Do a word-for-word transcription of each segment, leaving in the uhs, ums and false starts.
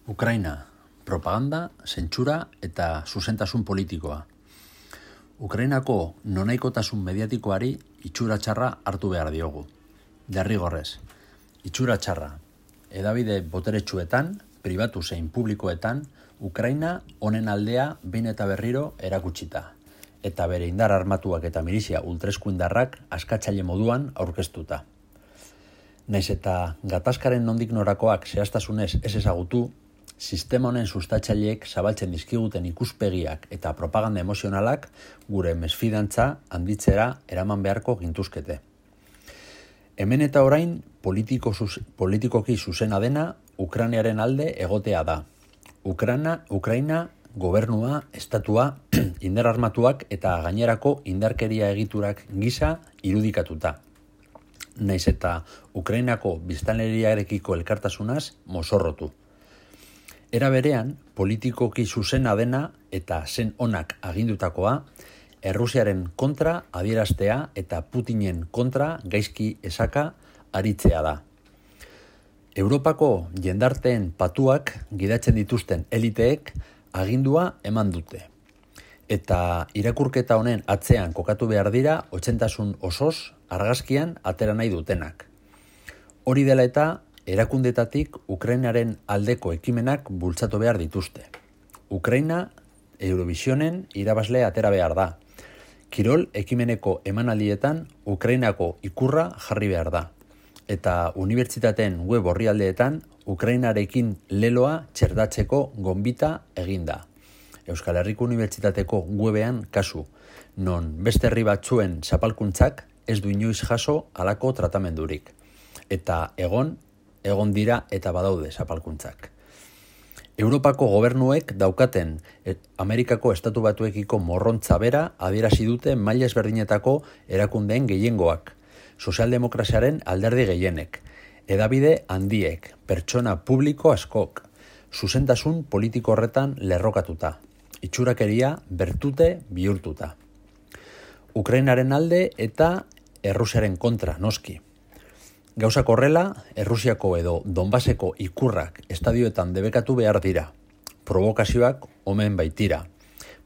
Ukraina, propaganda, zentsura eta zuzentasun politikoa. Ukrainako nonaikotasun mediatikoari itxura txarra hartu behar diogu. Derrigorrez, itxura txarra. Hedabide boteretsuetan, pribatu zein publikoetan, Ukraina honen aldea behin eta berriro erakutsita, eta bere indar armatuak eta milizia ultraeskuindarrak askatzaile moduan aurkeztuta. Naiz eta gatazkaren nondik norakoak zehaztasunez ez ezagutu, sistema honen sustatzaileek zabaltzen dizkiguten ikuspegiak eta propaganda emozionalak gure mesfidantza handitzera eraman beharko gintuzkete. Hemen eta orain politiko zuz, politikoki zuzena dena Ukrainaren alde egotea da. Ukraina, Ukraina gobernua, estatua, indar armatuak eta gainerako indarkeria egiturak gisa irudikatuta. Naiz eta Ukrainako biztanleriarekiko elkartasunaz mozorrotu. Era berean, politikoki zuzena dena eta zen onak agindutakoa, Errusiaren kontra adieraztea eta Putinen kontra gaizki esaka aritzea da. Europako jendarteen patuak gidatzen dituzten eliteek agindua eman dute. Eta irakurketa honen atzean kokatu behar dira otzentasun osoz argazkian atera nahi dutenak. Hori dela eta erakundetatik Ukrainaren aldeko ekimenak bultzatu behar dituzte. Ukraina Eurovisionen irabazle atera behar da. Kirol ekimeneko emanaldietan Ukrainako ikurra jarri behar da. Eta unibertsitateen web orrialdeetan Ukrainarekin leloa txerdatzeko gonbita eginda. Euskal Herriko Unibertsitateko webean kasu, non beste herri batzuen zapalkuntzak ez du inoiz jaso halako tratamendurik. Eta egon, egon dira eta badaude zapalkuntzak. Europako gobernuek daukaten Amerikako estatu batuekiko morrontza bera adierazi dute maila ezberdinetako erakundeen gehiengoak, sozialdemokraziaren alderdi gehienek, hedabide handiek, pertsona publiko askok, zuzentasun politiko horretan lerrokatuta, itxurakeria bertute bihurtuta. Ukrainaren alde eta Errusiaren kontra noski. Gauzak horrela, Errusiako edo Donbaseko ikurrak estadioetan debekatu behar dira. Provokazioak omen baitira.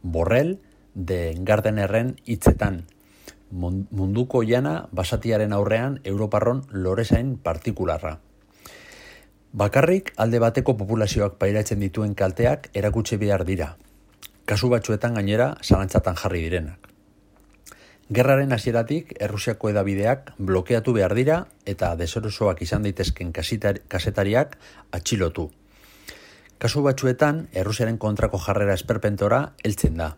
Borrell de Gardenerren hitzetan. Munduko jana basatiaren aurrean Europarron lorezain partikularra. Bakarrik alde bateko populazioak pairatzen dituen kalteak erakutsi behar dira. Kasu batzuetan gainera zalantzatan jarri direnak. Gerraren hasieratik Errusiako hedabideak blokeatu behar dira eta deserosoak izan daitezken kazetariak atxilotu. Kasu batzuetan Errusiaren kontrako jarrera esperpentora heltzen da.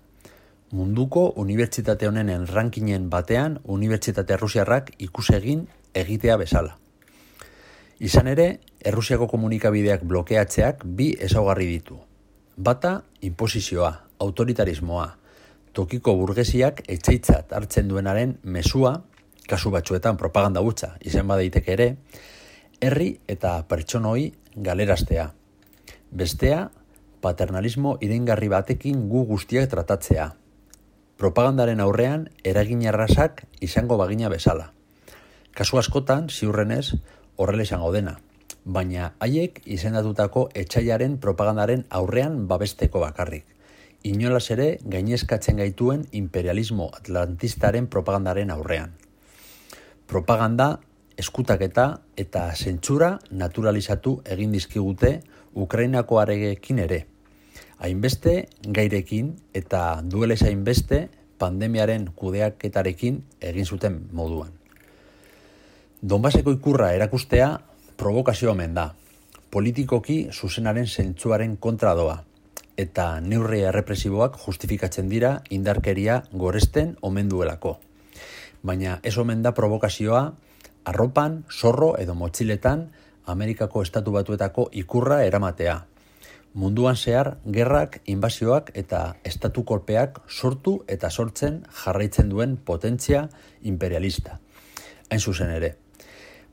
Munduko unibertsitate honen rankingen batean unibertsitate errusiarrak ikusegin egitea bezala. Izan ere, Errusiako komunikabideak blokeatzeak bi ezaugarri ditu. Bata, inposizioa, autoritarismoa, tokiko burgesiak etxeitzat hartzen duenaren mezua, kasu batzuetan propaganda hutsa izan badaiteke ere, herri eta pertsonoi galeraztea. Bestea, paternalismo iraingarri batekin gu guztiak tratatzea. Propagandaren aurrean eragin arrasak izango bagina bezala. Kasu askotan, ziurrenez, horrela izango dena, baina haiek izendatutako etsaiaren propagandaren aurrean babesteko bakarrik. Inolaz ere gainezkatzen gaituen imperialismo atlantistaren propagandaren aurrean. Propaganda, eskutaketa eta zentsura naturalizatu egin dizkigute Ukrainako aregekin ere. Hainbeste gairekin eta duelez hainbeste pandemiaren kudeaketarekin egin zuten moduan. Donbaseko ikurra erakustea provokazio omen da. Politikoki zuzenaren zentsuaren kontra doa. Eta neurri errepresiboak justifikatzen dira indarkeria goresten omen duelako. Baina ez omen da provokazioa arropan, zorro edo motxiletan Amerikako estatu batuetako ikurra eramatea. Munduan zehar gerrak, inbazioak eta estatu kolpeak sortu eta sortzen jarraitzen duen potentzia imperialista. Hain zuzen ere.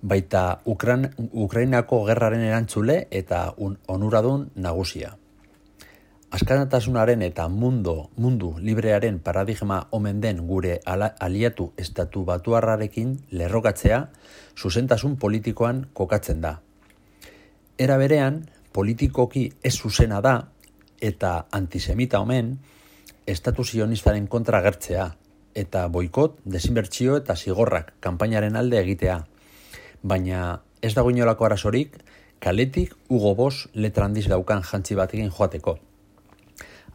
Baita Ukran, Ukrainako gerraren erantzule eta un, onuradun nagusia. Askatasunaren eta mundu, mundu librearen paradigma omen den gure ala, aliatu estatu batuarrarekin lerrokatzea zuzentasun politikoan kokatzen da. Era berean, politikoki ez zuzena da eta antisemita omen estatu zionistaren kontra agertzea eta boikot, desinbertsio eta zigorrak kanpainaren alde egitea. Baina ez dago inolako arazorik kaletik Hugo Boss letra handiz daukan jantzi batekin joateko.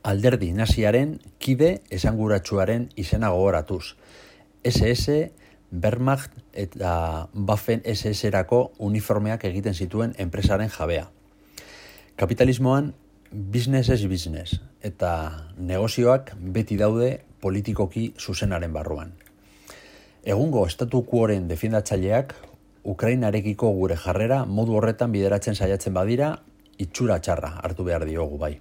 Alderdi naziaren kide esanguratsuaren izena gogoratuz. ese ese, Wehrmacht eta Waffen ese ese-erako uniformeak egiten zituen enpresaren jabea. Kapitalismoan business is business eta negozioak beti daude politikoki zuzenaren barruan. Egungo estatu quoren defendatzaileak Ukrainarekiko gure jarrera modu horretan bideratzen saiatzen badira, itxura txarra hartu behar diogu bai.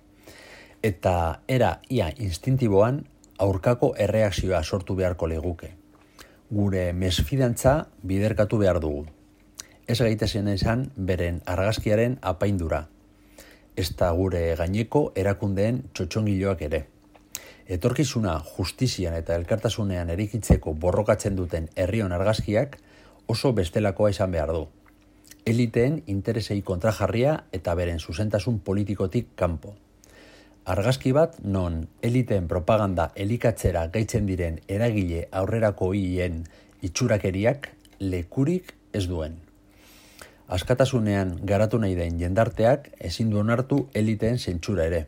Eta era ia instintiboan aurkako erreakzioa sortu beharko leguke. Gure mesfidantza biderkatu behar dugu. Ez gaitezen esan beren argazkiaren apaindura. Ezta gure gaineko erakundeen txotxongiloak ere. Etorkizuna justizian eta elkartasunean erikitzeko borrokatzen duten herrion argazkiak oso bestelakoa izan behar du. Eliteen interesei kontrajarria eta beren zuzentasun politikotik kanpo. Argazki bat non eliteen propaganda elikatzera gaitzen diren eragile aurrerako hien itxurakeriak lekurik ez duen. Askatasunean garatu nahi den jendarteak ezin du onartu eliteen zentsura ere.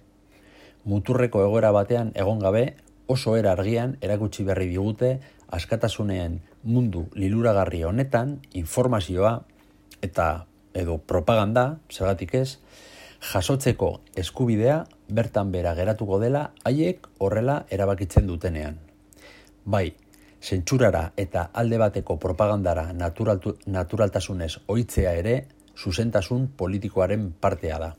Muturreko egoera batean egon gabe oso era argian erakutsi berri digute askatasunean mundu liluragarri honetan informazioa eta edo propaganda, zergatik ez, jasotzeko eskubidea bertan bera geratuko dela haiek horrela erabakitzen dutenean. Bai, zentsurara eta alde bateko propagandara naturaltu, naturaltasunez ohitzea ere zuzentasun politikoaren partea da.